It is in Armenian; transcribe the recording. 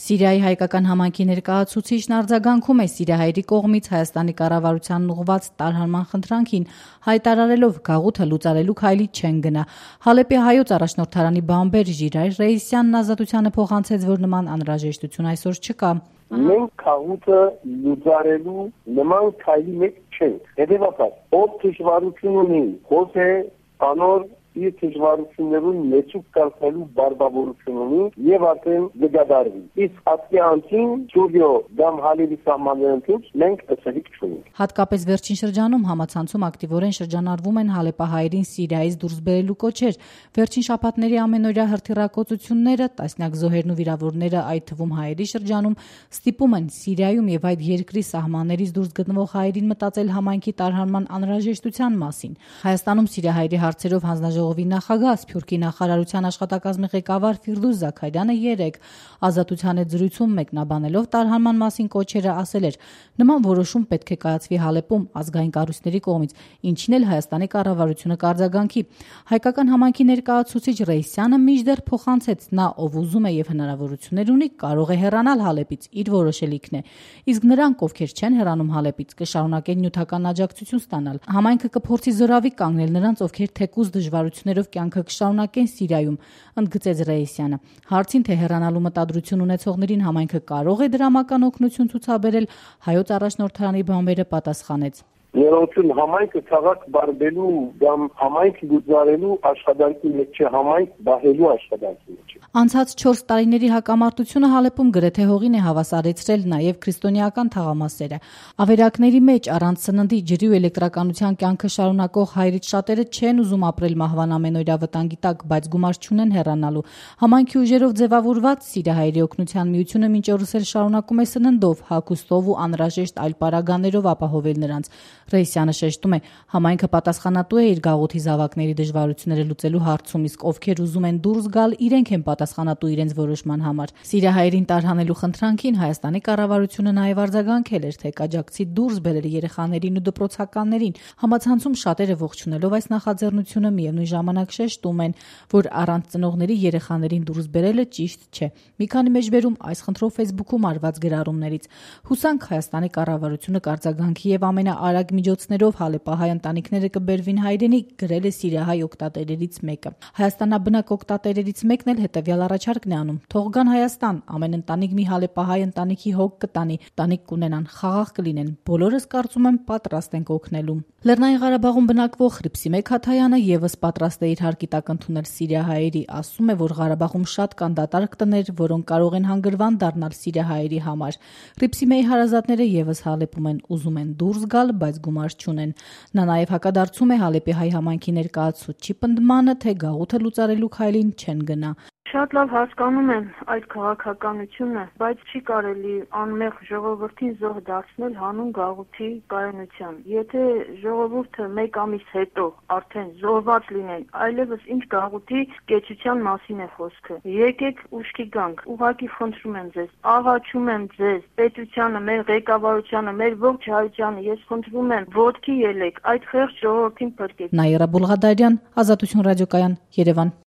Սիրիայի հայկական համայնքի ներկայացուցիչն արձագանքում է սիրիահայերի կողմից Հայաստանի կառավարությանն ուղղված տարհանման խնդրանքին, հայտարարելով գաղութը լուծարելու քայլի չեն գնա։ Հալեպի հայոց առաջնորդարանի բամբեր Ժիրայր Ռեյիսյանն Ազատությանը փոխանցեց, որ նման անհրաժեշտություն այսօր չկա։ Մենք գաղութը լուծարելու նման քայլի մեջ չենք։ Հետևաբար, ով դժվարություն ունի, խոսե անոր իր դժվարություններուն մեջուկ կարգելու բարբավորություն ունի եւ արդեն դգադարվի։ Իսկ ասկի անցին Սուրիո դամ Հալեպի սահմաններում մենք ըստ չունենք։ Հատկապես վերջին շրջանում համացանցում ակտիվորեն շրջանառվում են հալեպահայերին Սիրիայից դուրս բերելու կոչեր։ Վերջին շաբաթների ամենօրյա հրթիռակոծությունները, տասնյակ զոհերն ու վիրավորները, այդ թվում հայերի շրջանում, ստիպում են Սիրիայում եւ այդ երկրի սահմաններից դուրս գտնվող հայերին մտածել համայնքի տարհանման անհրաժեշտության մասին։ Հայաստանում սիրիահայերի հարցերով հանձնաժողովի նախագահ, Սփյուռքի նախարարության աշխատակազմի ղեկավար Ֆիրդուս Զաքարյանը 3 Ազատության հետ զրույցում մեկնաբանելով տարհանման մասին կոչերը ասել էր. նման որոշում պետք է կայացվի Հալեպում ազգային կառույցների կողմից, ինչին էլ Հայաստանի կառավարությունը կարձագանքի։ Հայկական համայնքի ներկայացուցիչ Ռեյիսյանը մինչդեռ փոխանցեց, նա ով ուզում է եւ հնարավորություններ ունի, կարող է հեռանալ Հալեպից, իր որոշելիքն է։ Իսկ նրանք, ովքեր չեն հեռանում Հալեպից, կշարունակեն նյութական աջակցություն ստանալ։ Համայնքը կփորձի զորավի կանգնել նրանց, ովքեր թեկուզ դժվարություններով կյանքը կշարունակեն Սիրիայում, ընդգծեց Ռեյիսյանը։ Հարցին, թե հեռանալու մտադրություն ունեցողներին համայնքը կարող է դրամական օգնություն ցուցաբերել, հայոց առաջնորդարանի բամբերը պատասխանեց. Ներողություն, համայնքը քաղաք բարբելու կամ համայնք լուծարելու աշխատանքի մեջ չէ, համայնք բահելու աշխատանքի մեջ է։ Անցած 4 տարիների հակամարտությունը Հալեպում գրեթե հողին է հավասարեցրել նաև քրիստոնեական թաղամասերը։ Ավերակների մեջ առանց սննդի, ջրի ու էլեկտրականության կյանքը շարունակող հայրից շատերը չեն ուզում ապրել մահվան ամենօրյա վտանգի տակ, բայց գումար չունեն հեռանալու։ Համայնքի ուժերով ձևավորված Սիրիահայերի օգնության միությունը մինչ օրս էլ շարունակում է սննդով, հագուստով ու անհրաժեշտ այլ պարագաներով ապահովել նրանց։ Ռեյիսյանը շեշտում է, համայնքը պատասխանատու է իր գաղութի զավակների դժվարությունները լուծելու հարցում, իսկ ովքեր ուզում են դուրս գալ, իրենք են պատասխանատու իրենց որոշման համար։ Սիրիահայերին տարհանելու խնդրանքին Հայաստանի կառավարությունը նաև արձագանքել էր, թե կաջակցի դուրս բերել երեխաներին ու դպրոցականներին։ Համացանցում շատերը ողջունելով այս նախաձեռնությունը միևնույն ժամանակ շեշտում են, որ առանց ծնողների երեխաներին դուրս բերելը ճիշտ չէ։ Մի քանի մեջբերում այս խնդրով Facebook-ում արված գրառումներից։ Հուսանք Հայաստանի կառավարությունը կարձագանքի եւ ամենաարագ միջոցներով հալեպահայ ընտանիքները կբերվին հայրենիք, գրել է սիրիահայ օգտատերերից մեկը։ Հայաստանաբնակ օգտատերերից մեկն էլ հետևյալ առաջարկն է անում. թող գան Հայաստան, ամեն ընտանիք մի հալեպահայ ընտանիքի հոգ կտանի, ընտանիք կունենան, խաղաղ կլինեն, բոլորս կարծում եմ պատրաստ ենք օգնելու։ Լեռնային Ղարաբաղում բնակվող Հրիփսիմե Քաթայանը եւս պատրաստ է իր հարկի տակ ընդունել սիրիահայերի, ասում է, որ Ղարաբաղում շատ կան դատարկ տներ, որոնք կարող են հանգրվան դառնալ սիրիահայերի համար։ Հրիփսիմեի հարազատները եւս Հալեպում են, ուզում են դուրս գալ, բայց գումար չունեն։ Նա նաև հակադարձում է Հալեպի հայ համայնքի ներկայացուցչի պնդմանը, թե գաղութը լուծարելու քայլին չեն գնա։ Շատ լավ հասկանում եմ այդ քաղաքականությունը, բայց չի կարելի անմեղ ժողովրդին զոհ դարձնել հանուն գաղութի կայունության։ Եթե ժողովուրդը 1 ամիս հետո արդեն զոհված լինեն, այլևս ինչ գաղութի կեցության մասին է խոսքը։ Եկեք ուշքի գանք, ուղղակի խնդրում եմ ձեզ, աղաչում եմ ձեզ, պետությանը, մեր ղեկավարությանը, մեր ողջ հայությանը, ես խնդրում եմ, ոտքի ելեք, այդ խեղճ ժողովրդին փրկեք։ Նաիրա Բուլղադարյան, Ազատություն ռադիոկայան, Երևան։